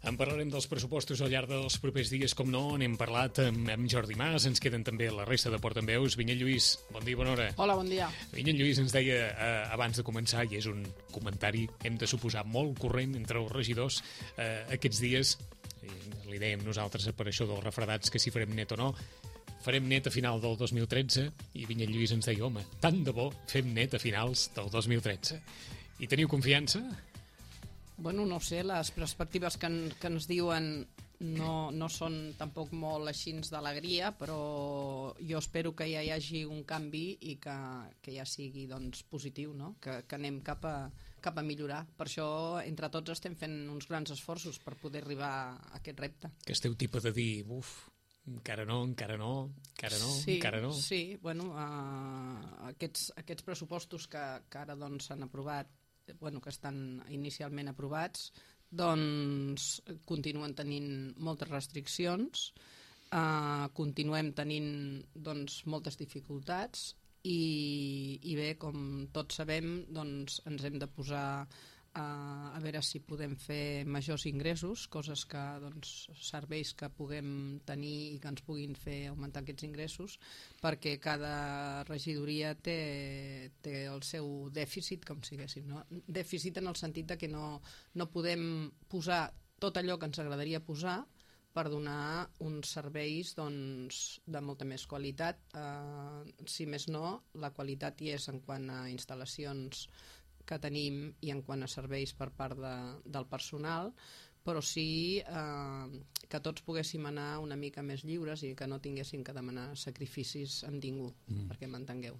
En parlarem dels pressupostos al llarg dels propers dies, com no, n'hem parlat amb Jordi Mas, ens queden també la resta de Portaveus. Vinyet Lluís, bon dia, bona hora. Hola, bon dia. Vinyet Lluís ens deia abans de començar, i és un comentari, hem de suposar, molt corrent entre els regidors aquests dies, li dèiem nosaltres per això dels refredats que si farem net o no, farem net a final del 2013, i Vinyet Lluís ens deia, home, tant de bo fem net a finals del 2013. I teniu confiança? Bueno, no sé, les perspectives que ens diuen no són tampoc molt així d'alegria, però jo espero que ja hi hagi un canvi i que ja sigui doncs, positiu, no? Que anem cap a millorar. Per això, entre tots, estem fent uns grans esforços per poder arribar a aquest repte. Que esteu tipus de dir, encara no. Sí, bueno, aquests pressupostos que ara doncs, s'han aprovat, que estan inicialment aprovats, doncs continuen tenint moltes restriccions, continuem tenint doncs, moltes dificultats i bé, com tots sabem, doncs, ens hem de posar a veure si podem fer majors ingressos, coses que, doncs, serveis que puguem tenir i que ens puguin fer augmentar aquests ingressos, perquè cada regidoria té el seu dèficit, com siguéssim, no? Dèficit en el sentit de que no podem posar tot allò que ens agradaria posar per donar uns serveis doncs, de molta més qualitat. Si més no, la qualitat hi és en quant a instal·lacions que tenim i en quant a serveis per part del personal, però sí que tots poguéssim anar una mica més lliures i que no tinguéssim que demanar sacrificis amb ningú, perquè m'entengueu.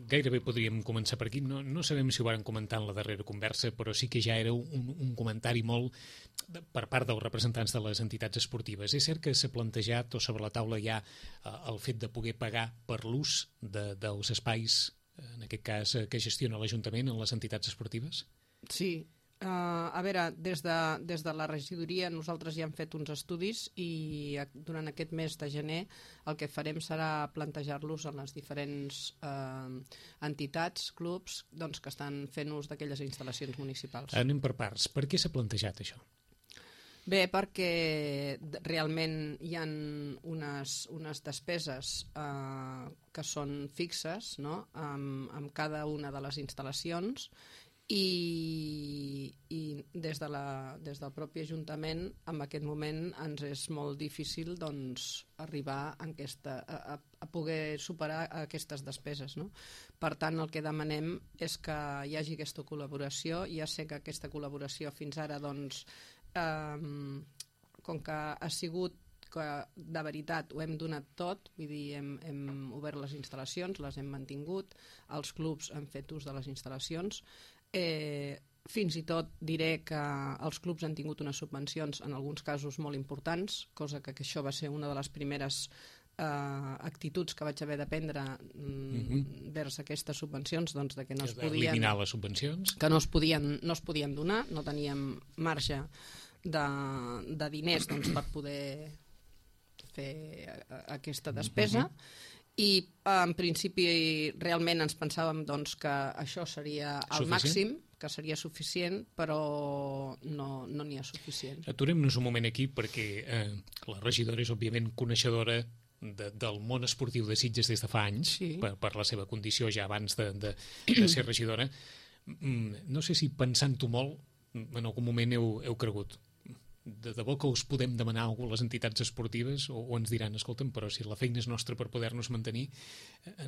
Gairebé podríem començar per aquí. No sabem si ho varen comentar en la darrera conversa, però sí que ja era un comentari molt per part dels representants de les entitats esportives. És cert que s'ha plantejat o sobre la taula hi ha el fet de poder pagar per l'ús dels espais, en aquest cas, que gestiona l'Ajuntament en les entitats esportives? Sí. A veure, des de la regidoria nosaltres ja hem fet uns estudis i durant aquest mes de gener el que farem serà plantejar-los en les diferents entitats, clubs, doncs, que estan fent ús d'aquelles instal·lacions municipals. Anem per parts. Per què s'ha plantejat això? Bé, perquè realment hi ha unes despeses que són fixes, no? amb cada una de les instal·lacions i des del propi Ajuntament en aquest moment ens és molt difícil doncs, arribar a poder superar aquestes despeses, no? Per tant, el que demanem és que hi hagi aquesta col·laboració. Ja sé que aquesta col·laboració fins ara doncs, com que ha sigut que de veritat ho hem donat tot, vull dir, hem obert les instal·lacions, les hem mantingut, els clubs han fet ús de les instal·lacions, fins i tot diré que els clubs han tingut unes subvencions en alguns casos molt importants, cosa que això va ser una de les primeres actituds que vaig haver de prendre vers aquestes subvencions, doncs, de que no es podien eliminar les subvencions, que no es podien donar, no teníem marge de diners doncs, per poder fer aquesta despesa i en principi realment ens pensàvem doncs, que això seria el màxim, que seria suficient, però no n'hi ha suficient. Aturem-nos un moment aquí perquè la regidora és òbviament coneixedora del món esportiu de Sitges des de fa anys, sí, per la seva condició ja abans de ser regidora. No sé si pensant-ho molt en algun moment heu cregut de debò que us podem demanar alguna a les entitats esportives o ens diran, escolta'm, però si la feina és nostra per poder-nos mantenir,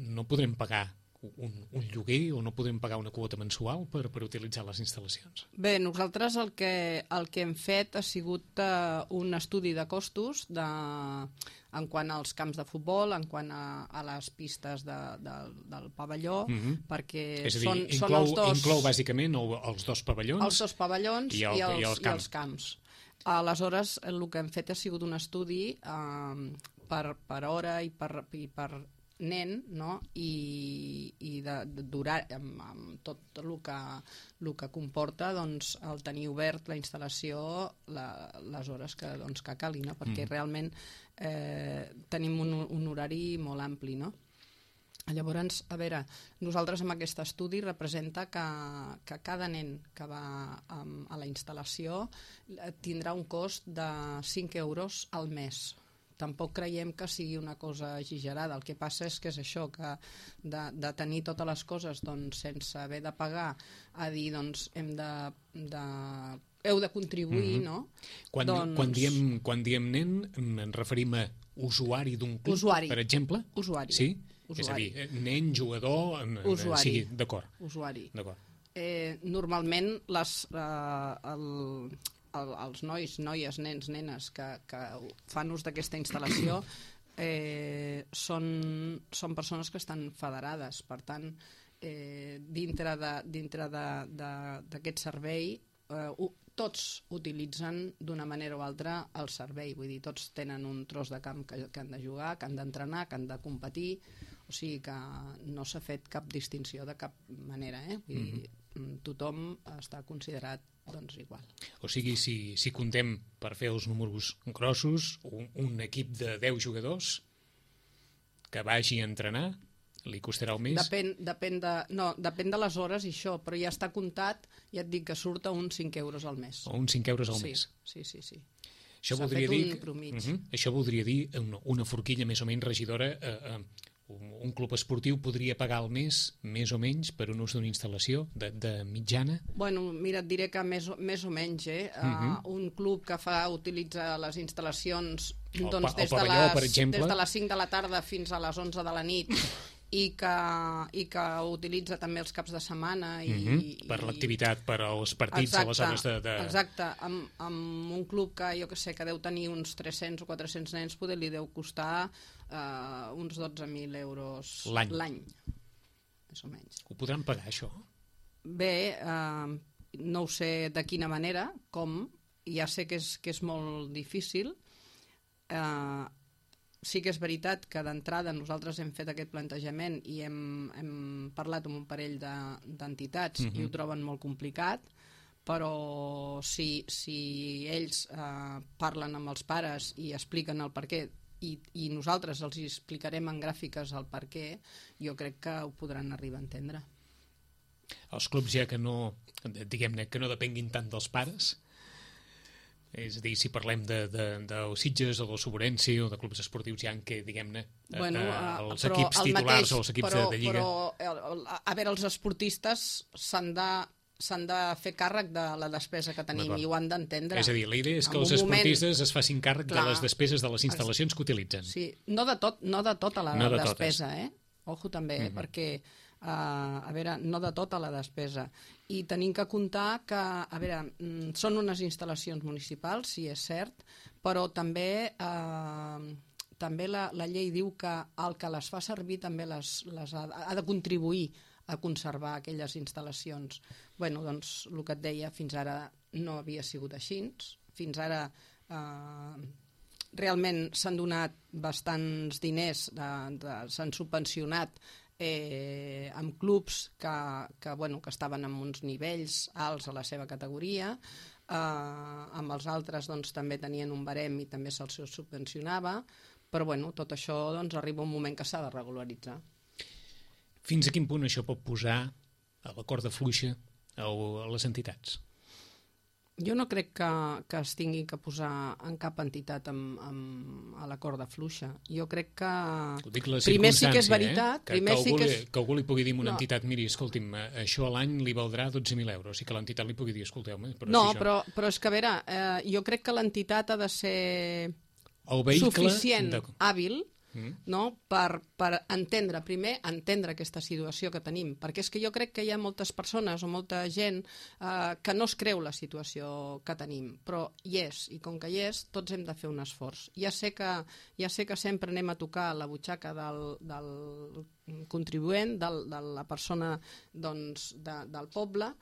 no podrem pagar un lloguer o no podem pagar una quota mensual per utilitzar les instal·lacions? Bé, nosaltres el que hem fet ha sigut un estudi de costos en quant als camps de futbol, en quant a les pistes del pavelló, perquè és a dir, són els dos... Inclou bàsicament els dos pavellons? Els dos pavellons i els camps. Aleshores, el que hem fet ha sigut un estudi per hora i per nen, no? I durar amb tot el que comporta doncs, el tenir obert la instal·lació les hores que calgui, no? Perquè realment tenim un horari molt ampli, no? Llavors, a veure, nosaltres amb aquest estudi representa que cada nen que va a la instal·lació tindrà un cost de 5 euros al mes. Tampoc creiem que sigui una cosa exagerada. El que passa és que és això, que de tenir totes les coses doncs, sense haver de pagar, a dir, doncs, heu de contribuir, no? Quan diem nen, ens referim a usuari d'un club, per exemple? Usuari. Sí? Usuari. És a dir, nen, jugador, sigui, d'acord. Usuari. Normalment els nois, noies, nens, nenes que fan ús d'aquesta instal·lació són persones que estan federades. Per tant, dintre d'aquest servei tots utilitzen d'una manera o altra el servei, vull dir, tots tenen un tros de camp que han de jugar, que han d'entrenar, que han de competir, o sigui que no s'ha fet cap distinció de cap manera, vull dir, tothom està considerat doncs igual. O sigui, si comptem, per fer els números grossos, un equip de 10 jugadors que vagi a entrenar, li costarà el mes? Depèn de les hores i això, però ja està comptat, ja et dic que surt a uns 5 euros al mes. O uns 5 euros al mes? Sí. Això voldria dir una forquilla més o menys regidora. Un club esportiu podria pagar al mes, més o menys, per un ús d'una instal·lació de mitjana? Bueno, mira, et diré que més o menys, un club que utilitza les instal·lacions doncs, des de les 5 de la tarda fins a les 11 de la nit i que utilitza també els caps de setmana per l'activitat, per als partits, a les hores de... Exacte, amb un club que jo que sé, que deu tenir uns 300 o 400 nens, poder li deu costar uns 12.000 euros l'any, més o menys. Ho podran pagar, això? Bé, no ho sé de quina manera, com, ja sé que és molt difícil. Sí que és veritat que d'entrada nosaltres hem fet aquest plantejament i hem parlat amb un parell d'entitats i ho troben molt complicat, però si ells parlen amb els pares i expliquen el perquè i nosaltres els explicarem en gràfiques el perquè, jo crec que ho podran arribar a entendre. Els clubs ja que no, diguem-ne, que no depenguin tant dels pares, és a dir, si parlem de Sitges o del Sobrense o de clubs esportius ja en què, diguem-ne, els equips titulars o els equips de Lliga... Però, a veure, els esportistes s'han de fer càrrec de la despesa que tenim i ho han d'entendre. És a dir, la idea és que els esportistes es facin càrrec de les despeses de les instal·lacions que utilitzen. Sí, no de tota la despesa, Ojo també, perquè... a veure, no de tota la despesa. I tenim que comptar que, a veure, són unes instal·lacions municipals, sí, és cert, però també la llei diu que el que les fa servir també ha de contribuir a conservar aquelles instal·lacions. Bueno, doncs, el que et deia, fins ara no havia sigut així. Fins ara realment s'han donat bastants diners, s'han subvencionat amb clubs que estaven en uns nivells alts a la seva categoria, amb els altres doncs, també tenien un barem i també se'ls subvencionava, però tot això arriba un moment que s'ha de regularitzar. Fins a quin punt això pot posar a la corda fluixa a les entitats? Jo no crec que es tingui que posar en cap entitat a la corda fluixa. Jo crec que... Primer sí que és veritat... Que algú li pugui dir a una entitat, miri, escolti'm, això a l'any li valdrà 12.000 euros, i que l'entitat li pugui dir, escolteu-me... Però és que, a veure, jo crec que l'entitat ha de ser suficient, hàbil, per entendre aquesta situació que tenim, perquè és que jo crec que hi ha moltes persones o molta gent que no es creu la situació que tenim, però hi és, i com que hi és, tots hem de fer un esforç. Ja sé que sempre anem a tocar la butxaca del contribuent, de la persona del poble,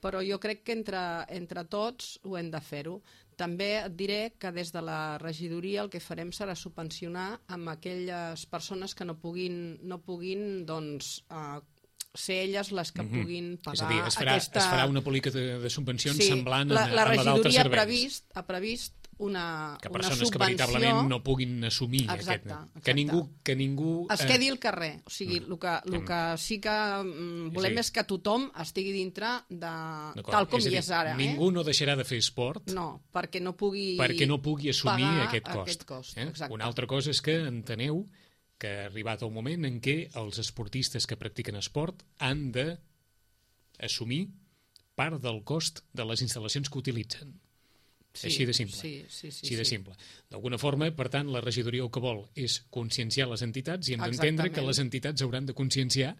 però jo crec que entre tots ho hem de fer-ho. També et diré que des de la regidoria el que farem serà subvencionar amb aquelles persones que no puguin ser elles les que puguin pagar. És a dir, es farà una política de subvencions semblant a la d'altres serveis. La regidoria ha previst que persones que veritablement no puguin assumir exacte. Que ningú es quedi al carrer. O sigui, el que sí que volem és que tothom estigui dintre de tal com hi és ara. Ningú no deixarà de fer esport perquè no pugui assumir aquest cost. Una altra cosa és que enteneu que ha arribat el moment en què els esportistes que practiquen esport han d'assumir part del cost de les instal·lacions que utilitzen. Així de simple. Així de simple. D'alguna forma, per tant, la regidoria el que vol és conscienciar les entitats i hem d'entendre que les entitats hauran de conscienciar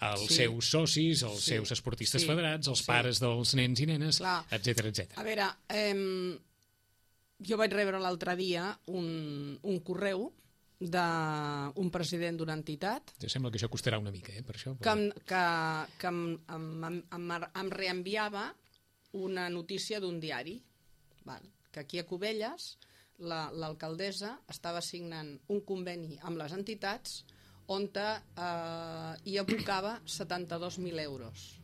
els seus socis, els seus esportistes federats, els pares dels nens i nenes, etc. A veure, jo vaig rebre l'altre dia un correu d'un president d'una entitat. Ja sembla que això costarà una mica, per això. Que em reenviava una notícia d'un diari, que aquí a Cubelles l'alcaldessa estava signant un conveni amb les entitats on hi abocava 72.000 euros.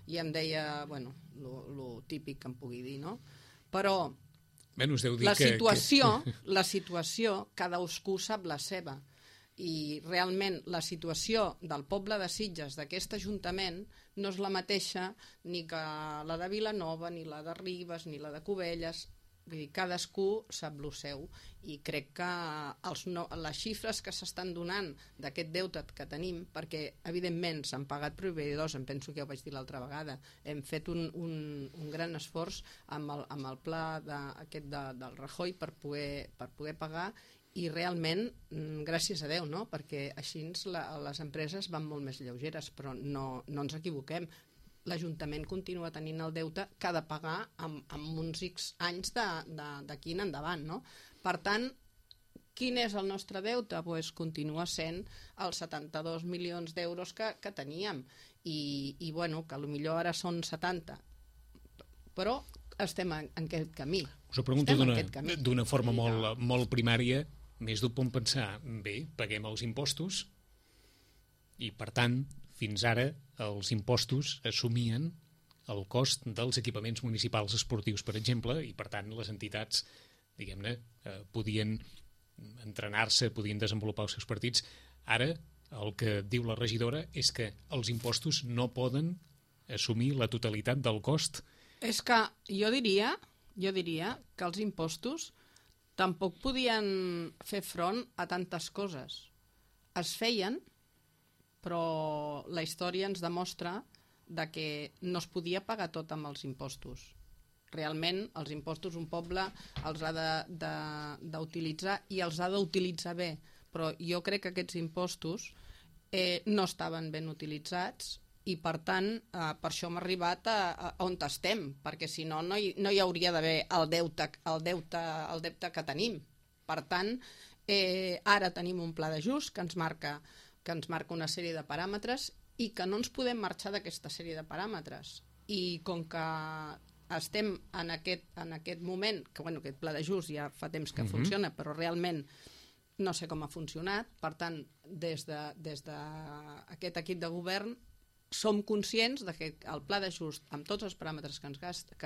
I em deia, bueno, lo típic que em pugui dir, no? Però la situació, cadascú sap la seva. I realment la situació del poble de Sitges, d'aquest ajuntament, no és la mateixa ni que la de Vilanova, ni la de Ribes, ni la de Cubelles. Vull dir, cadascú sap el seu. I crec que les xifres que s'estan donant d'aquest deute que tenim, perquè evidentment s'han pagat proveïdors, em penso que ja ho vaig dir l'altra vegada, hem fet un gran esforç amb el pla del Rajoy per poder pagar, i realment, gràcies a Déu, no? Perquè així les empreses van molt més lleugeres, però no ens equivoquem. L'Ajuntament continua tenint el deute que ha de pagar amb uns X anys d'aquí en endavant, no? Per tant, quin és el nostre deute? Pues continua sent els 72 milions d'euros que teníem. I bueno, que potser ara són 70. Però estem en aquest camí. Us ho pregunto d'una forma molt primària. Més d'un pot pensar, bé, paguem els impostos i, per tant, fins ara els impostos assumien el cost dels equipaments municipals esportius, per exemple, i, per tant, les entitats, diguem-ne, podien entrenar-se, podien desenvolupar els seus partits. Ara, el que diu la regidora és que els impostos no poden assumir la totalitat del cost. És que jo diria que els impostos tampoc podien fer front a tantes coses. Es feien, però la història ens demostra que no es podia pagar tot amb els impostos. Realment, els impostos un poble els ha d'utilitzar i els ha d'utilitzar bé, però jo crec que aquests impostos no estaven ben utilitzats i, per tant, per això hem arribat a on estem, perquè si no, no hi hauria d'haver el deute que tenim. Per tant, ara tenim un pla d'ajust que ens marca una sèrie de paràmetres i que no ens podem marxar d'aquesta sèrie de paràmetres. I com que estem en aquest moment, que aquest pla d'ajust ja fa temps que funciona, però realment no sé com ha funcionat, per tant, des d'aquest equip de govern som conscients que el pla d'ajust, amb tots els paràmetres que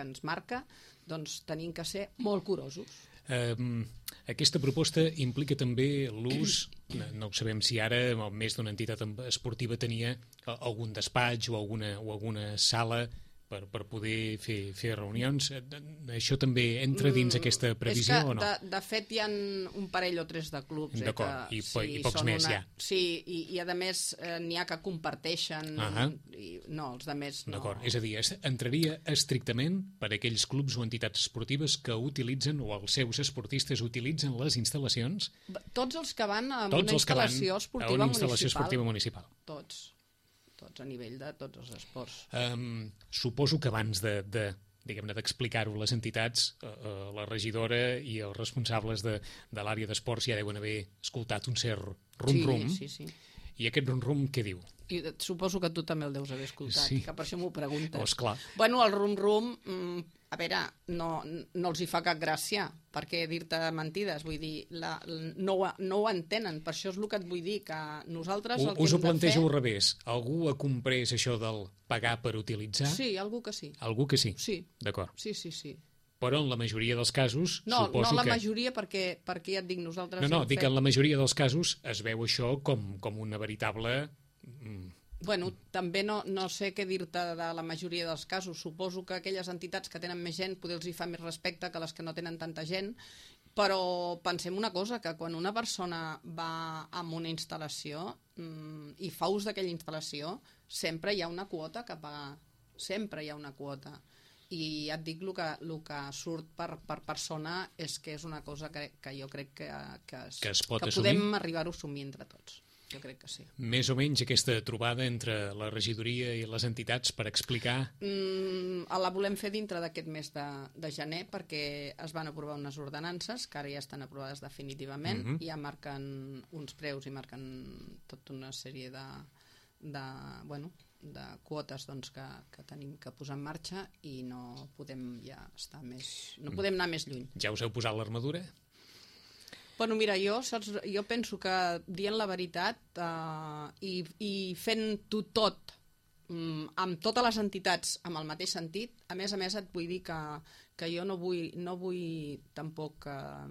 ens marca, doncs tenim que ser molt curosos. Aquesta proposta implica també l'ús, no ho sabem si ara més d'una entitat esportiva tenia algun despatx o alguna sala per poder fer reunions. Això també entra dins aquesta previsió o no? De fet, hi ha un parell o tres de clubs. D'acord, i pocs més ja. Sí, i a més n'hi ha que comparteixen. No, els de més no. D'acord, és a dir, entraria estrictament per aquells clubs o entitats esportives que utilitzen, o els seus esportistes utilitzen les instal·lacions? Tots els que van a una instal·lació esportiva municipal. Tots a nivell de tots els esports. Suposo que abans d'explicar-ho a les entitats, la regidora i els responsables de l'àrea d'esports ja deuen haver escoltat un cert rum-rum. Sí. I aquest rum-rum què diu? I suposo que tu també el deus haver escoltat, que per això m'ho preguntes. Oh, esclar. Bueno, el rum-rum, a veure, no els hi fa cap gràcia, perquè dir-te mentides, vull dir, no ho entenen, per això és el que et vull dir, que nosaltres el que hem de fer... Us ho plantejo al revés, algú ha comprès això del pagar per utilitzar? Sí, algú que sí. Algú que sí? Sí. D'acord. Sí. Però en la majoria dels casos, no suposo la que... majoria, perquè ja et dic, nosaltres... No, dic que en la majoria dels casos es veu això com una veritable... Bueno, també no sé què dir-te de la majoria dels casos. Suposo que aquelles entitats que tenen més gent poder els hi fa més respecte que les que no tenen tanta gent, però pensem una cosa, que quan una persona va a una instal·lació i fa ús d'aquella instal·lació, sempre hi ha una quota que pagar. Sempre hi ha una quota. I ja et dic, el que surt per persona és que és una cosa que jo crec que podem arribar a assumir entre tots. Jo crec que sí. Més o menys aquesta trobada entre la regidoria i les entitats per explicar... La volem fer dintre d'aquest mes de gener perquè es van aprovar unes ordenances que ara ja estan aprovades definitivament, ja marquen uns preus i marquen tota una sèrie de quotes doncs, que tenim que posar en marxa i no podem ja estar no podem anar més lluny. Ja us heu posat l'armadura? Bueno, mira, jo penso que dient la veritat i fent-ho tot amb totes les entitats amb el mateix sentit, a més et vull dir que jo no vull tampoc... A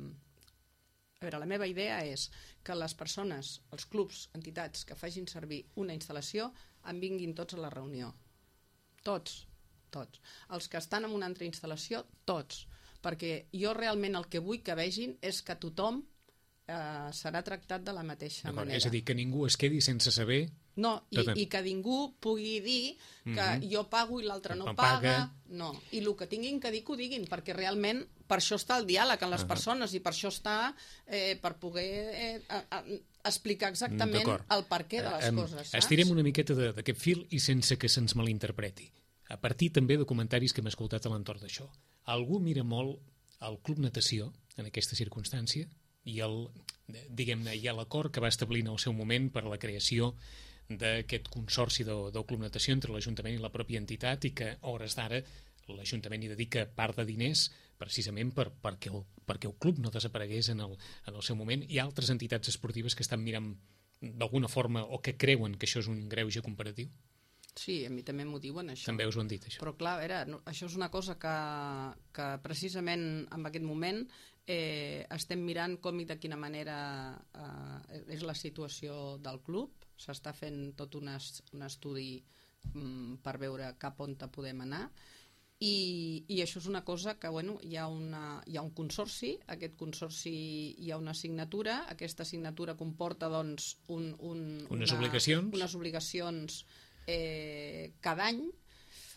veure, la meva idea és que les persones, els clubs, entitats que facin servir una instal·lació en vinguin tots a la reunió. Tots. Els que estan en una altra instal·lació, tots. Perquè jo realment el que vull que vegin és que tothom serà tractat de la mateixa manera. És a dir, que ningú es quedi sense saber... No, i que ningú pugui dir que jo pago i l'altre no paga. No, i el que tinguin que dir que ho diguin, perquè realment per això està el diàleg amb les persones i per això està per poder explicar exactament el perquè de les coses, saps? Estirem una miqueta d'aquest fil i sense que se'ns malinterpreti. A partir també de comentaris que hem escoltat a l'entorn d'això. Algú mira molt el Club Natació en aquesta circumstància i l'acord que va establir en el seu moment per a la creació d'aquest consorci del Club Natació entre l'Ajuntament i la pròpia entitat i que, a hores d'ara, l'Ajuntament hi dedica part de diners precisament perquè el club no desaparegués en el seu moment. Hi ha altres entitats esportives que estan mirant d'alguna forma o que creuen que això és un greuge comparatiu? Sí, a mi també m'ho diuen, això. També us ho han dit, això. Però clar, a veure, això és una cosa que precisament en aquest moment estem mirant com i de quina manera és la situació del club. S'està fent tot un estudi per veure cap on podem anar i això és una cosa que hi ha un consorci, aquest consorci hi ha una assignatura, aquesta assignatura comporta doncs unes obligacions cada any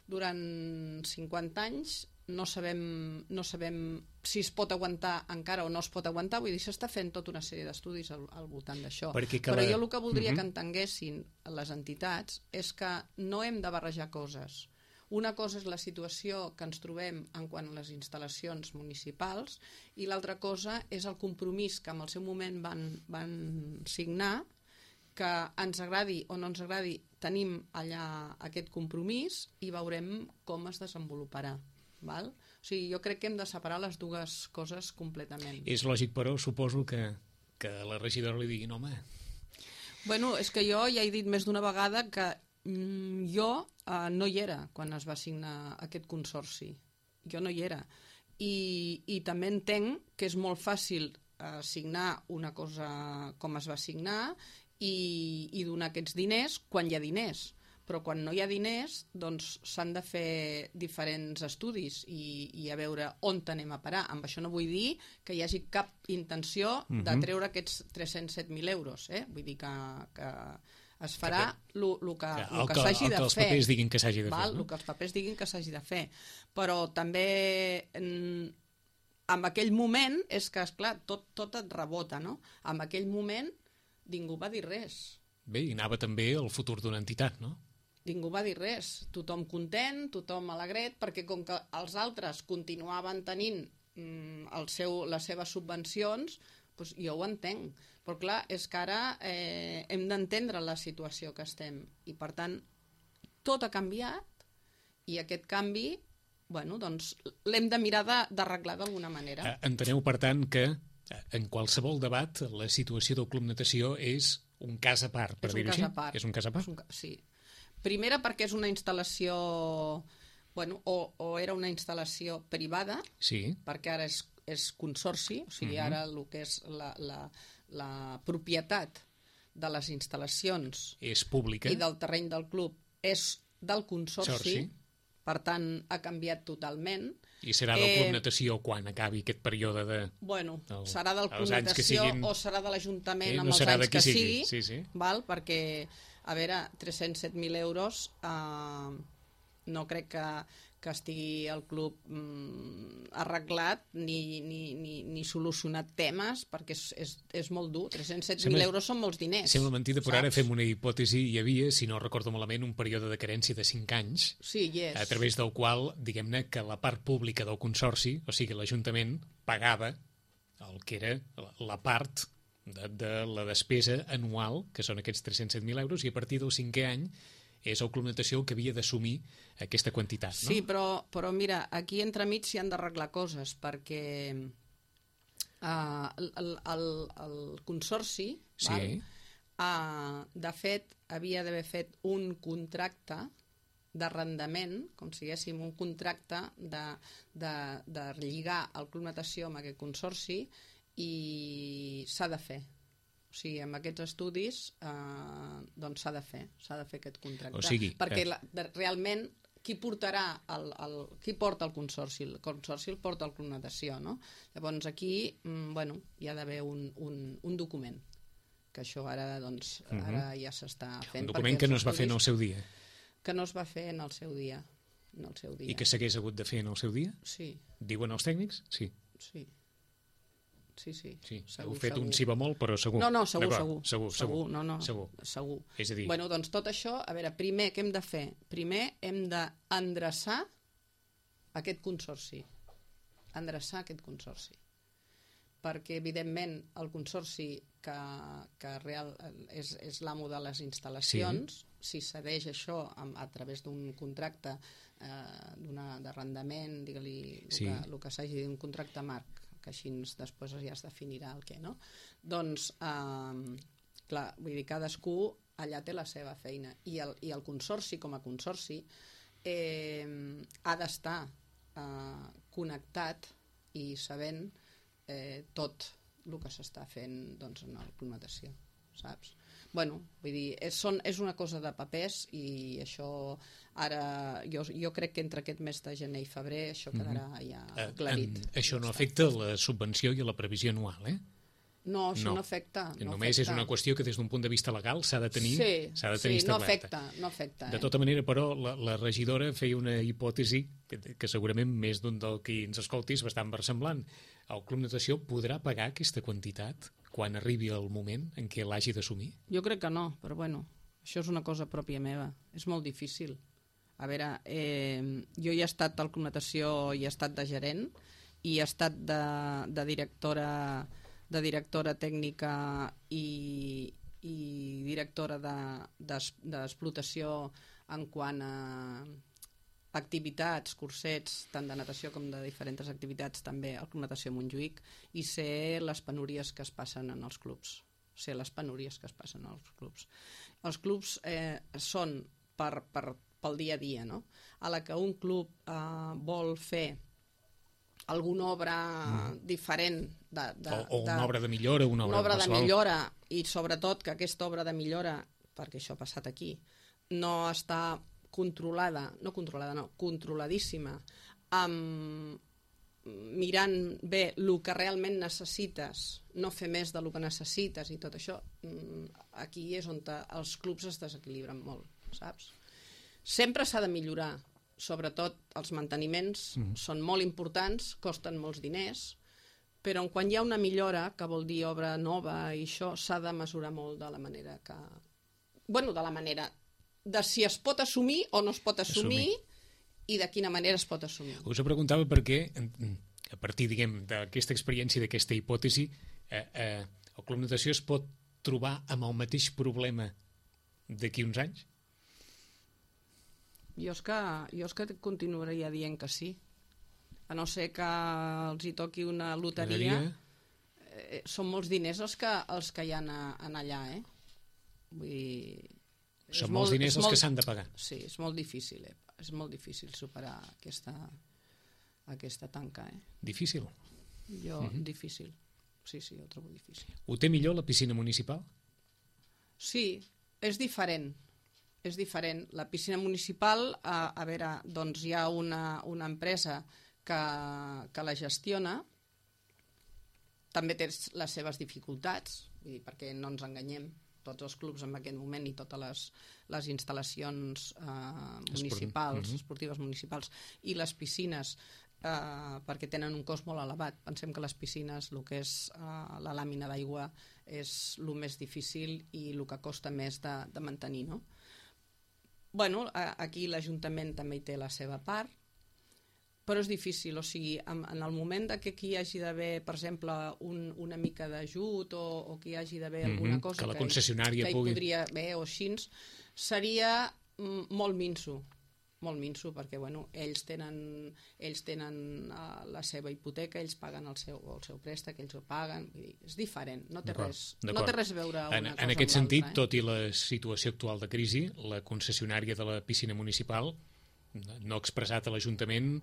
durant 50 anys. No sabem si es pot aguantar encara o no es pot aguantar, vull dir, s'està fent tota una sèrie d'estudis al voltant d'això. Però jo el que voldria que entenguessin les entitats és que no hem de barrejar coses. Una cosa és la situació que ens trobem en quant a les instal·lacions municipals i l'altra cosa és el compromís que en el seu moment van signar, que ens agradi o no ens agradi, tenim allà aquest compromís i veurem com es desenvoluparà. Val? O sigui, jo crec que hem de separar les dues coses completament. És lògic, però, suposo que a la regidora li diguin, home... Bueno, és que jo ja he dit més d'una vegada que jo no hi era quan es va signar aquest consorci. Jo no hi era. I també entenc que és molt fàcil signar una cosa com es va signar i donar aquests diners quan hi ha diners. Però quan no hi ha diners, doncs s'han de fer diferents estudis i a veure on anem a parar. Amb això no vull dir que hi hagi cap intenció de treure aquests 307.000 euros. Vull dir que es farà el que s'hagi de fer. El que els papers diguin que s'hagi de fer. El que els papers diguin que s'hagi de fer. Però també en aquell moment és que, esclar, tot et rebota, no? En aquell moment ningú va dir res. Bé, i anava també el futur d'una entitat, no? Ningú va dir res, tothom content, tothom alegret, perquè com que els altres continuaven tenint les seves subvencions, doncs jo ho entenc. Però clar, és que ara hem d'entendre la situació que estem i per tant tot ha canviat i aquest canvi doncs l'hem de mirar d'arreglar d'alguna manera. Enteneu, per tant, que en qualsevol debat la situació del Club Natació és un cas a part, per dir-ho així? És un cas a part? Sí. Primera perquè és una instal·lació bueno, o era una instal·lació privada, perquè ara és consorci, o sigui, ara el que és la propietat de les instal·lacions és pública i del terreny del club és del consorci, per tant ha canviat totalment. I serà del Club Natació quan acabi aquest període de... Bueno, serà del Club Natació o serà de l'Ajuntament amb els anys que sigui, perquè, a veure, 307.000 euros no crec que estigui el club arreglat ni solucionat temes, perquè és molt dur. 307.000 euros són molts diners. Sembla mentida, però ara fem una hipòtesi. Hi havia, si no recordo malament, un període de carència de 5 anys, a través del qual, diguem-ne, que la part pública del consorci, o sigui, l'Ajuntament, pagava el que era la part de la despesa anual, que són aquests 307.000 euros, i a partir del 5è any és el Club Natació que havia d'assumir aquesta quantitat, no? Sí, però mira, aquí entremig s'hi han d'arreglar coses, perquè el consorci, de fet, havia d'haver fet un contracte d'arrendament, com si diguéssim un contracte de lligar el Club Natació amb aquest consorci, i s'ha de fer. O sigui, amb aquests estudis doncs s'ha de fer aquest contracte. O sigui, perquè realment qui porta el consorci? El consorci el porta el Club Natació, no? Llavors aquí hi ha d'haver un document, que això ara ja s'està fent. Un document que no es va fer en el seu dia. Que no es va fer en el seu dia. I que s'hagués hagut de fer en el seu dia? Sí. Diuen els tècnics? Sí. Sí. Sí. Heu fet un sí bemol, però segur. No, segur. Segur. És a dir... Bueno, doncs tot això, a veure, primer què hem de fer? Primer hem d'endreçar aquest consorci. Perquè, evidentment, el consorci que és l'amo de les instal·lacions, si cedeix això a través d'un contracte d'arrendament, digue-li el que s'hagi dit, un contracte marc, que així després ja es definirà el què, no? Doncs, clar, vull dir, cadascú allà té la seva feina. I el consorci, com a consorci, ha d'estar connectat i sabent tot el que s'està fent en el Club Natació, saps? Bueno, vull dir, és una cosa de papers, i això ara jo crec que entre aquest mes de gener i febrer això quedarà ja aclarit. Això no afecta la subvenció i la previsió anual, eh? No, això no afecta. Només és una qüestió que des d'un punt de vista legal s'ha de tenir establerta. No afecta. De tota manera, però, la regidora feia una hipòtesi que segurament més d'un del que ens escolti és bastant versemblant. El Club Natació podrà pagar aquesta quantitat quan arribi el moment en què l'hagi d'assumir? Jo crec que no, però bueno, això és una cosa pròpia meva. És molt difícil. A veure, jo hi he estat al Club Natació, hi he estat de gerent, i he estat de directora tècnica i directora d'explotació en quant a activitats, cursets, tant de natació com de diferents activitats també al Club Natació Montjuïc, i sé les penúries que es passen en els clubs. Els clubs són pel dia a dia, no? A la que un club vol fer alguna obra diferent o una obra de millora, una obra de millora, i sobretot que aquesta obra de millora, perquè això ha passat aquí, no està controladíssima, mirant bé el que realment necessites, no fer més del que necessites i tot això, aquí és on els clubs es desequilibren molt, saps? Sempre s'ha de millorar, sobretot els manteniments són molt importants, costen molts diners, però quan hi ha una millora, que vol dir obra nova i això, s'ha de mesurar molt de la manera que... Bueno, de la manera de si es pot assumir o no es pot assumir i de quina manera es pot assumir. Us ho preguntava perquè, a partir, diguem, d'aquesta experiència, d'aquesta hipòtesi, el Club Natació es pot trobar amb el mateix problema d'aquí uns anys? Jo és que continuaria dient que sí. A no ser que els hi toqui una loteria. Són molts diners els que hi ha allà, Vull dir... Són molts diners els que s'han de pagar. Sí, és molt difícil, és molt difícil superar aquesta tanca. Difícil? Difícil. Sí, ho trobo difícil. Ho té millor la piscina municipal? Sí, és diferent. És diferent. La piscina municipal, a veure, doncs hi ha una empresa que la gestiona, també té les seves dificultats, perquè no ens enganyem, tots els clubs en aquest moment i totes les instal·lacions municipals, esportives municipals i les piscines, perquè tenen un cost molt elevat. Pensem que les piscines, el que és la làmina d'aigua, és el més difícil i el que costa més de mantenir, no? Bueno, aquí l'Ajuntament també hi té la seva part, però és difícil, o sigui, en el moment que aquí hi hagi d'haver, per exemple, una mica d'ajut o que hi hagi d'haver alguna cosa que la concessionària que hi pugui... podria haver o així, seria molt minso, perquè bueno, ells tenen la seva hipoteca, ells paguen el seu préstec, ells ho paguen, vull dir, és diferent, no té res a veure una cosa en aquest amb sentit, l'altra. tot i la situació actual de crisi, la concessionària de la piscina municipal no ha expressat a l'Ajuntament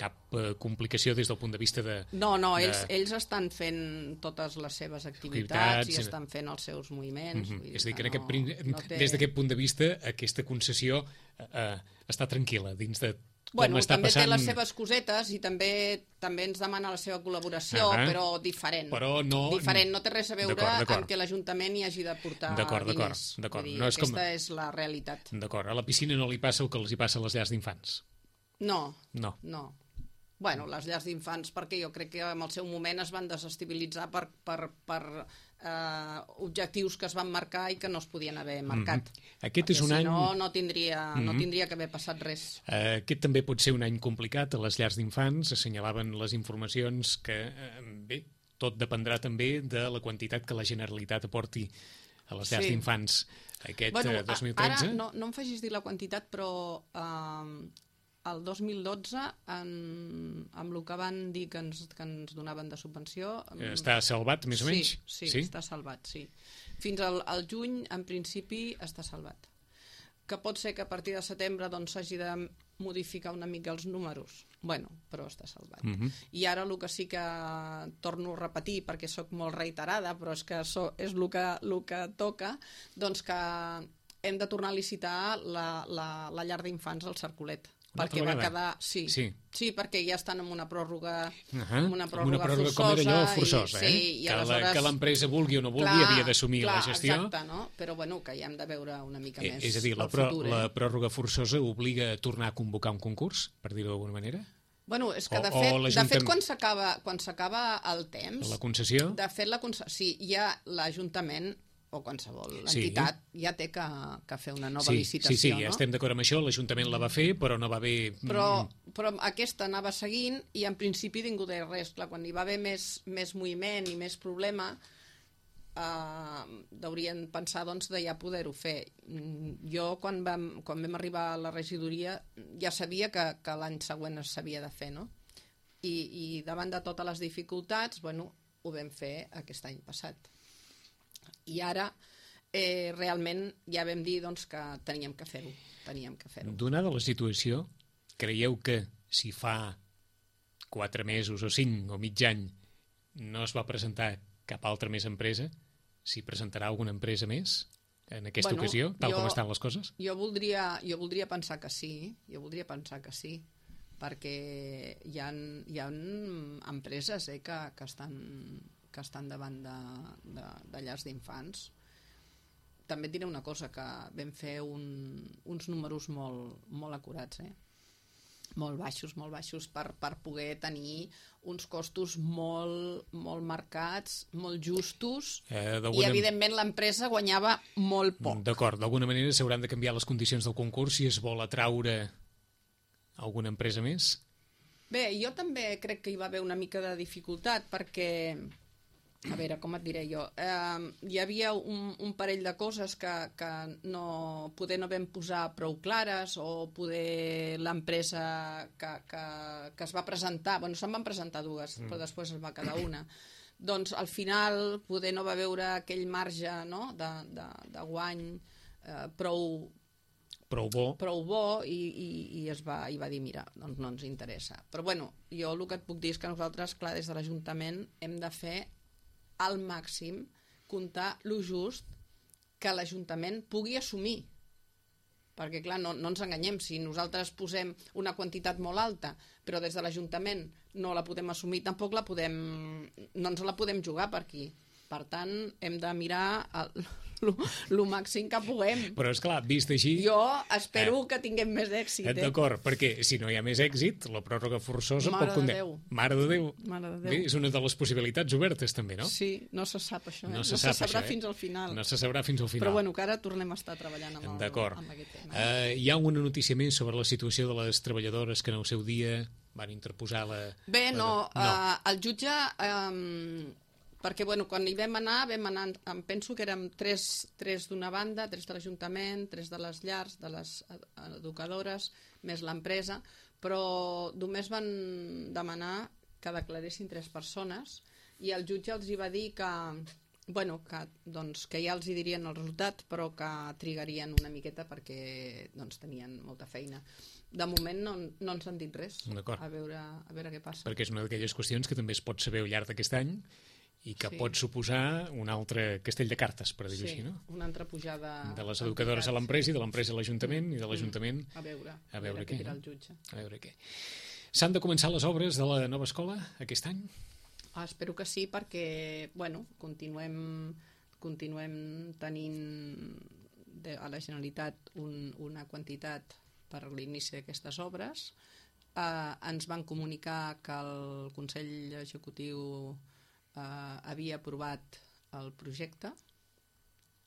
cap complicació des del punt de vista de... No, ells estan fent totes les seves activitats i estan fent els seus moviments. És a dir, que des d'aquest punt de vista aquesta concessió està tranquil·la dins de com està també passant... té les seves cosetes i també ens demana la seva col·laboració, però diferent. Diferent, no té res a veure amb que l'Ajuntament hi hagi de portar diners. Aquesta és la realitat. D'acord, a la piscina no li passa el que els hi passa a les llars d'infants? No. Bueno, les llars d'infants, perquè jo crec que en el seu moment es van desestabilitzar per objectius que es van marcar i que no es podien haver marcat. Aquest és un any... no tindria que haver passat res. Aquest també pot ser un any complicat a les llars d'infants. Assenyalaven les informacions que, bé, tot dependrà també de la quantitat que la Generalitat aporti a les llars d'infants aquest 2013. Ara no em facis dir la quantitat, però... el 2012, amb el que van dir que ens donaven de subvenció... Està salvat, més o menys? Sí, està salvat, sí. Fins al juny, en principi, està salvat. Que pot ser que a partir de setembre s'hagi de modificar una mica els números. Bueno, però està salvat. I ara el que sí que torno a repetir, perquè sóc molt reiterada, però és que és el que toca, doncs que hem de tornar a licitar la llar d'infants al Cercolet. Perquè va quedar... Sí, perquè ja estan en una pròrroga forçosa. Com era allò, forçosa, que l'empresa vulgui o no vulgui havia d'assumir la gestió. Exacte, no? Però bueno, que ja hem de veure una mica més és a dir, la pròrroga forçosa obliga a tornar a convocar un concurs, per dir-ho d'alguna manera? Bueno, és que de fet quan s'acaba el temps... La concessió? De fet, sí, ja l'Ajuntament o qualsevol entitat ja té que fer una nova licitació. Sí, ja estem d'acord amb això, l'Ajuntament la va fer, però no va haver... Però aquesta anava seguint i en principi ningú deia res. Clar, quan hi va haver més moviment i més problema, deurien pensar de ja poder-ho fer. Jo, quan vam arribar a la regidoria, ja sabia que l'any següent s'havia de fer, no? I davant de totes les dificultats, ho vam fer aquest any passat. I ara realment ja vam dir que teníem que fer-ho. Donada la situació, creieu que si fa 4 mesos o 5 o mig any no es va presentar cap altra més empresa, s'hi presentarà alguna empresa més en aquesta ocasió, tal com estan les coses? Jo voldria pensar que sí, perquè hi ha empreses que estan davant de llars d'infants. També et diré una cosa, que vam fer uns números molt acurats, molt baixos per poder tenir uns costos molt marcats, molt justos, i evidentment l'empresa guanyava molt poc. D'acord, d'alguna manera s'hauran de canviar les condicions del concurs si es vol atraure alguna empresa més? Bé, jo també crec que hi va haver una mica de dificultat perquè... A veure, com et diré jo? Hi havia un parell de coses que poder no vam posar prou clares, o poder l'empresa que es va presentar, se'n van presentar dues, però després es va quedar una. Doncs al final poder no va veure aquell marge de guany prou prou bo i va dir, mira, doncs no ens interessa. Però bueno, jo el que et puc dir és que nosaltres, clar, des de l'Ajuntament hem de fer al màxim comptar lo just que l'Ajuntament pugui assumir. Perquè, clar, no ens enganyem, si nosaltres posem una quantitat molt alta, però des de l'Ajuntament no la podem assumir, tampoc no ens la podem jugar per aquí. Per tant, hem de mirar el màxim que puguem. Però, esclar, vist així... Jo espero que tinguem més èxit. D'acord, perquè si no hi ha més èxit, la pròrroga forçosa pot condemnar. Mare de Déu. Bé, és una de les possibilitats obertes, també, no? Sí, no se sap això. No se sabrà fins al final. No se sabrà fins al final. Però bueno, que ara tornem a estar treballant amb aquest tema. Hi ha una notícia més sobre la situació de les treballadores que en el seu dia van interposar la... Bé, no. El jutge... perquè, bueno, quan hi vam anar, em penso que érem tres d'una banda, 3 de l'Ajuntament, 3 de les llars, de les educadores, més l'empresa, però només van demanar que declaressin 3 persones i el jutge els hi va dir que, bueno, que ja els hi dirien el resultat, però que trigarien una miqueta perquè tenien molta feina. De moment no ens han dit res. A veure què passa. Perquè és una d'aquelles qüestions que també es pot saber al llarg d'aquest any i que pot suposar un altre castell de cartes, per dir-ho així, no? Una altra pujada... De les educadores a l'empresa i de l'empresa a l'Ajuntament i de l'Ajuntament... A veure què dirà el jutge. A veure què. S'han de començar les obres de la nova escola aquest any? Espero que sí, perquè, bueno, continuem tenint a la Generalitat una quantitat per l'inici d'aquestes obres. Ens van comunicar que el Consell Executiu havia aprovat el projecte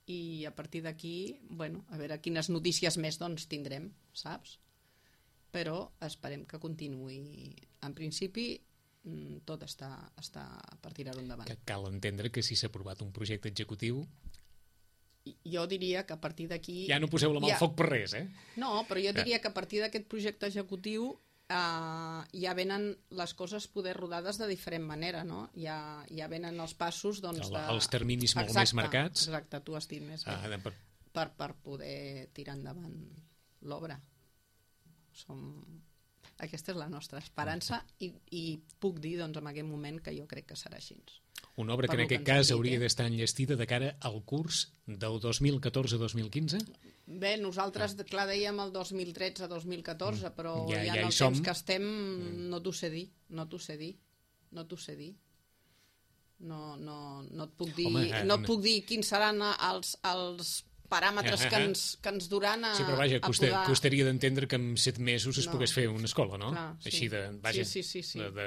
i a partir d'aquí, bueno, a veure quines notícies més tindrem, saps? Però esperem que continuï. En principi, tot està per tirar-ho endavant. Que cal entendre que si s'ha aprovat un projecte executiu... Jo diria que a partir d'aquí... Ja no poseu la mà al foc per res, eh? No, però jo diria que a partir d'aquest projecte executiu ja venen les coses poder rodades de diferent manera, no? Ja venen els passos, els terminis molt més marcats. Exacte, tu has dit més bé. Per poder tirar endavant l'obra. Aquesta és la nostra esperança i puc dir en aquest moment que jo crec que serà així. Una obra que en aquest cas hauria d'estar enllestida de cara al curs del 2014-2015? Bé, nosaltres, clar, dèiem el 2013-2014, però ja en el temps que estem no t'ho sé dir. No et puc dir quins seran els paràmetres que ens duran a sí, però vaja, costaria d'entendre que en 7 mesos es pogués fer una escola, no? Clar, així de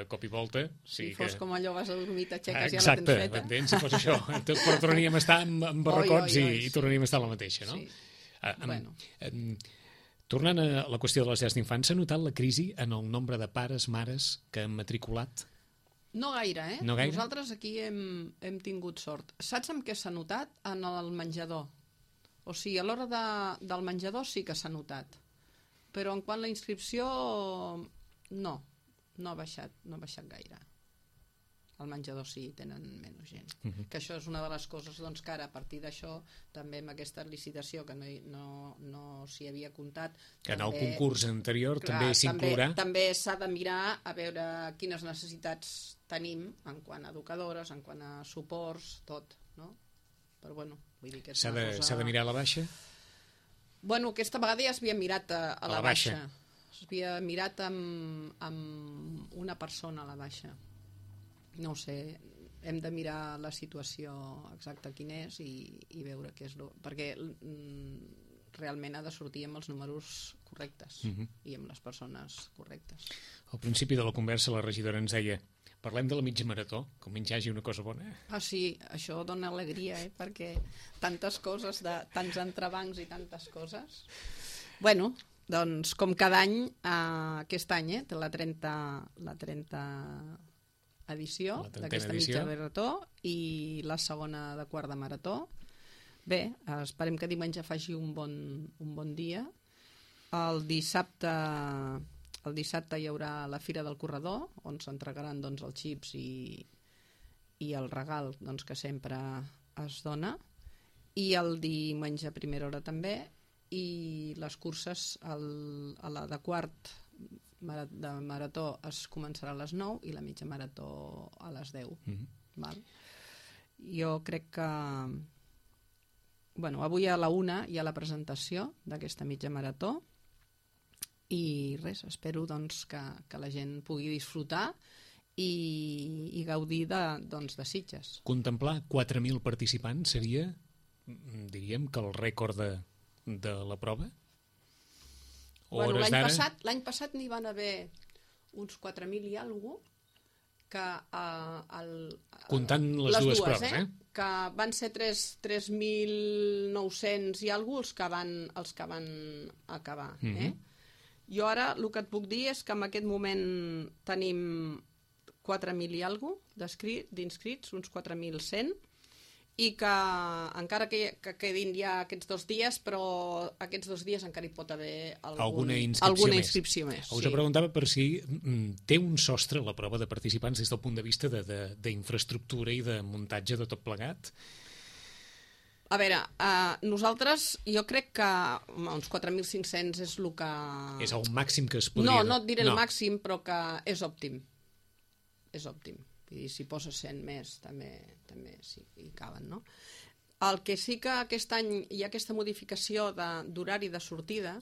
cop i volta. Si fos com allò, vas a dormir, t'aixeques i ja la tens feta. Exacte, m'entens? Si fos això. Però tornaríem a estar amb barracots i tornaríem a estar la mateixa, no? Tornant a la qüestió de les llars d'infants, s'ha notat la crisi en el nombre de pares, mares que han matriculat? No gaire, eh? No gaire? Nosaltres aquí hem tingut sort. Saps amb què s'ha notat? En el menjador. O sigui, a l'hora del menjador sí que s'ha notat. Però en quant a la inscripció, no ha baixat gaire. Al menjador sí, tenen menys gent. Que això és una de les coses que ara, a partir d'això, també amb aquesta licitació que no s'hi havia comptat... Que en el concurs anterior també s'inclourà... També s'ha de mirar a veure quines necessitats tenim en quant a educadores, en quant a suports, tot, no? Però bueno, vull dir que és una cosa... S'ha de mirar a la baixa? Bueno, aquesta vegada ja s'havia mirat a la baixa. S'havia mirat amb una persona a la baixa. No ho sé, hem de mirar la situació exacta quin és i veure què és perquè realment ha de sortir amb els números correctes i amb les persones correctes. Al principi de la conversa la regidora ens deia: parlem de la mitja marató, com menys hi hagi una cosa bona. Ah, sí, això dona alegria, perquè tantes coses, tants entrebancs i tantes coses. Bueno, doncs com cada any, aquest any té la 30 edició d'aquesta mitja marató i la segona de quart de marató. Bé, esperem que diumenge faci un bon dia. El dissabte hi haurà la Fira del Corredor, on s'entregaran els xips i el regal que sempre es dona. I el diumenge a primera hora també. i les curses, a la de quart de marató es començarà a les 9 i la mitja marató a les 10. Val? Jo crec que avui a la 1 hi ha la presentació d'aquesta mitja marató i res, espero doncs, que la gent pugui disfrutar i gaudir de Sitges. Contemplar 4.000 participants seria, diríem, que el rècord de la prova? L'any passat n'hi van haver uns 4.000 i alguna cosa, que comptant les dues proves, que van ser 3.900 i alguna cosa els que van acabar. Jo ara el que et puc dir és que en aquest moment tenim 4.000 i alguna cosa d'inscrits, uns 4.100, i que encara que quedin ja aquests 2 dies, però aquests 2 dies encara hi pot haver alguna inscripció més. Us ho preguntava per si té un sostre la prova de participants des del punt de vista d'infraestructura i de muntatge de tot plegat? A veure, nosaltres, jo crec que uns 4.500 és el que... És el màxim que es podria... No et diré el màxim, però que és òptim. És òptim. I si poses 100 més també sí, hi caben, no? El que sí que aquest any hi ha aquesta modificació d'horari de sortida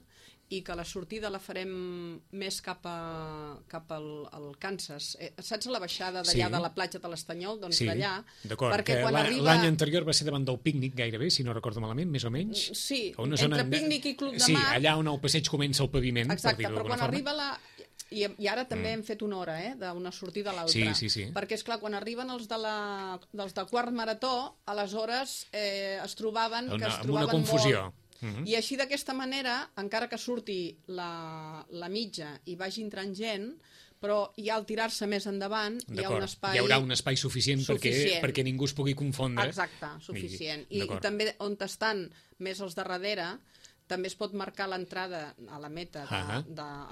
i que la sortida la farem més cap al Kansas. Saps la baixada d'allà de la platja de l'Estanyol? Doncs d'allà. D'acord, que l'any anterior va ser davant del pícnic gairebé, si no recordo malament, més o menys. Sí, entre pícnic i Club de Mar. Sí, allà on el passeig comença el paviment, per dir-ho d'alguna forma. Arriba I ara també hem fet una hora, d'una sortida a l'altra. Sí. Perquè, esclar, quan arriben els de quart marató, aleshores es trobaven amb una confusió. I així, d'aquesta manera, encara que surti la mitja i vagi entrant gent, però ja al tirar-se més endavant hi ha un espai... Hi haurà un espai suficient. Perquè ningú es pugui confondre. Exacte, suficient. I també on estan més als de darrere, també es pot marcar l'entrada a la meta, a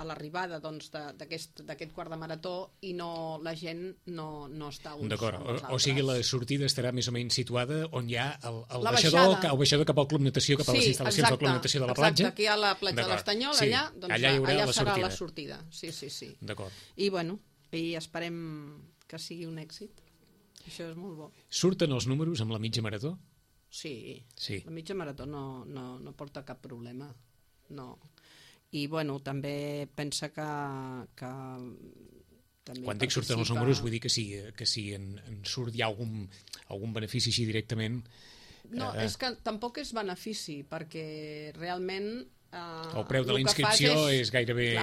l'arribada d'aquest quart de marató, i la gent no està uns amb els altres. O sigui, la sortida estarà més o menys situada on hi ha el baixador cap al Club Natació, cap a les instal·lacions del Club Natació de la platja. Exacte, aquí hi ha la platja de l'Estanyol, allà serà la sortida. Sí. D'acord. I esperem que sigui un èxit. Això és molt bo. Surten els números amb la mitja marató? Sí, la mitja marató no porta cap problema, no. I, també pensa que quan dic surten els números, vull dir que si en surt hi ha algun benefici així directament... No, és que tampoc és benefici, perquè realment... El preu de la inscripció és gairebé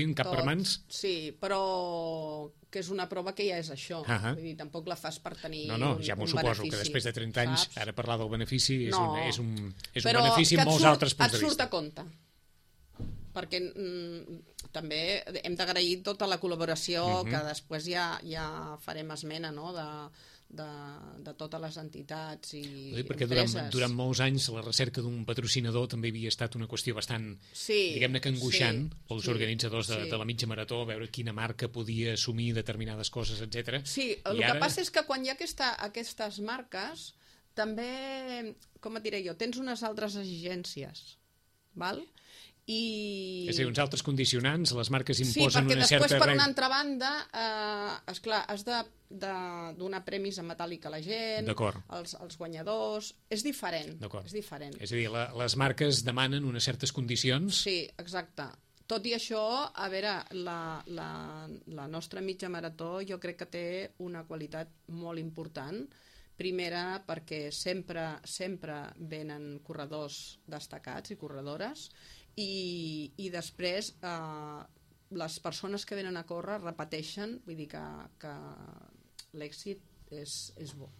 un cap per mans? Sí, però que és una prova que ja és això. Vull dir, tampoc la fas per tenir un benefici. Ja m'ho suposo, que després de 30 anys, ara parlar del benefici és un benefici en molts altres punts de vista. Et surt a compte. Perquè també hem d'agrair tota la col·laboració, que després ja farem esmena, no?, de totes les entitats i perquè empreses. Durant molts anys la recerca d'un patrocinador també havia estat una qüestió bastant, diguem-ne que angoixant pels organitzadors de la mitja marató, veure quina marca podia assumir determinades coses, etc. Sí, el que passa és que quan hi ha aquestes marques, també, com et diré jo, tens unes altres exigències, val? És a dir, uns altres condicionants, les marques imposen una certa... Sí, perquè després, per una altra banda, esclar, has de donar premis en metàl·lic a la gent, als guanyadors... És diferent. És a dir, les marques demanen unes certes condicions... Sí, exacte. Tot i això, a veure, la nostra mitja marató jo crec que té una qualitat molt important. Primera, perquè sempre venen corredors destacats i corredores, i després les persones que venen a córrer repeteixen, vull dir que l'èxit és bo,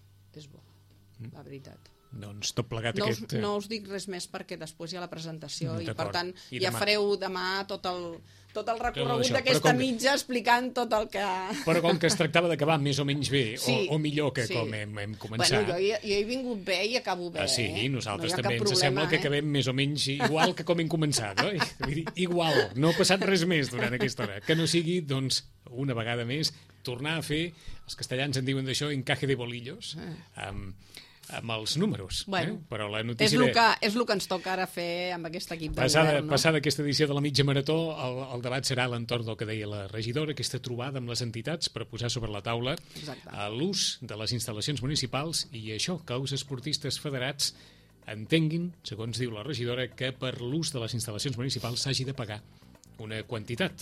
la veritat. Doncs tot plegat No us dic res més perquè després hi ha la presentació i per tant ja fareu demà tot el recorregut d'aquesta mitja explicant tot el que... Però com que es tractava d'acabar més o menys bé o millor que com hem començat... Bueno, jo he vingut bé i acabo bé. Sí, nosaltres també ens sembla que acabem més o menys igual que com hem començat, oi? Igual, no ha passat res més durant aquesta hora. Que no sigui, doncs, una vegada més, tornar a fer, els castellans en diuen d'això, encaje de bolillos, amb els números. Bueno, però la notícia és el que ens toca ara fer amb aquest equip de govern, no? Passada aquesta edició de la mitja marató, el debat serà a l'entorn del que deia la regidora, aquesta trobada amb les entitats per posar sobre la taula l'ús de les instal·lacions municipals i això, que els esportistes federats entenguin, segons diu la regidora, que per l'ús de les instal·lacions municipals s'hagi de pagar una quantitat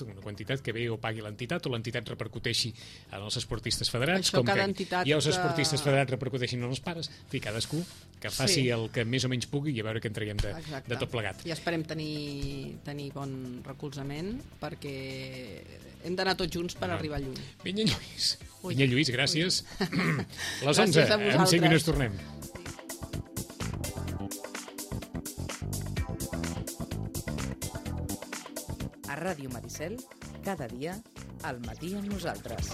que bé o pagui l'entitat o l'entitat repercuteixi en els esportistes federats, això, com que i els esportistes federats repercuteixin en els pares. En fi, cadascú que faci el que més o menys pugui i a veure què en traiem de tot plegat. I esperem tenir bon recolzament perquè hem d'anar tots junts per arribar lluny. Vinya Lluís, gràcies. Les 11, en 5 minuts tornem. A Ràdio Maricel, cada dia, al matí amb nosaltres.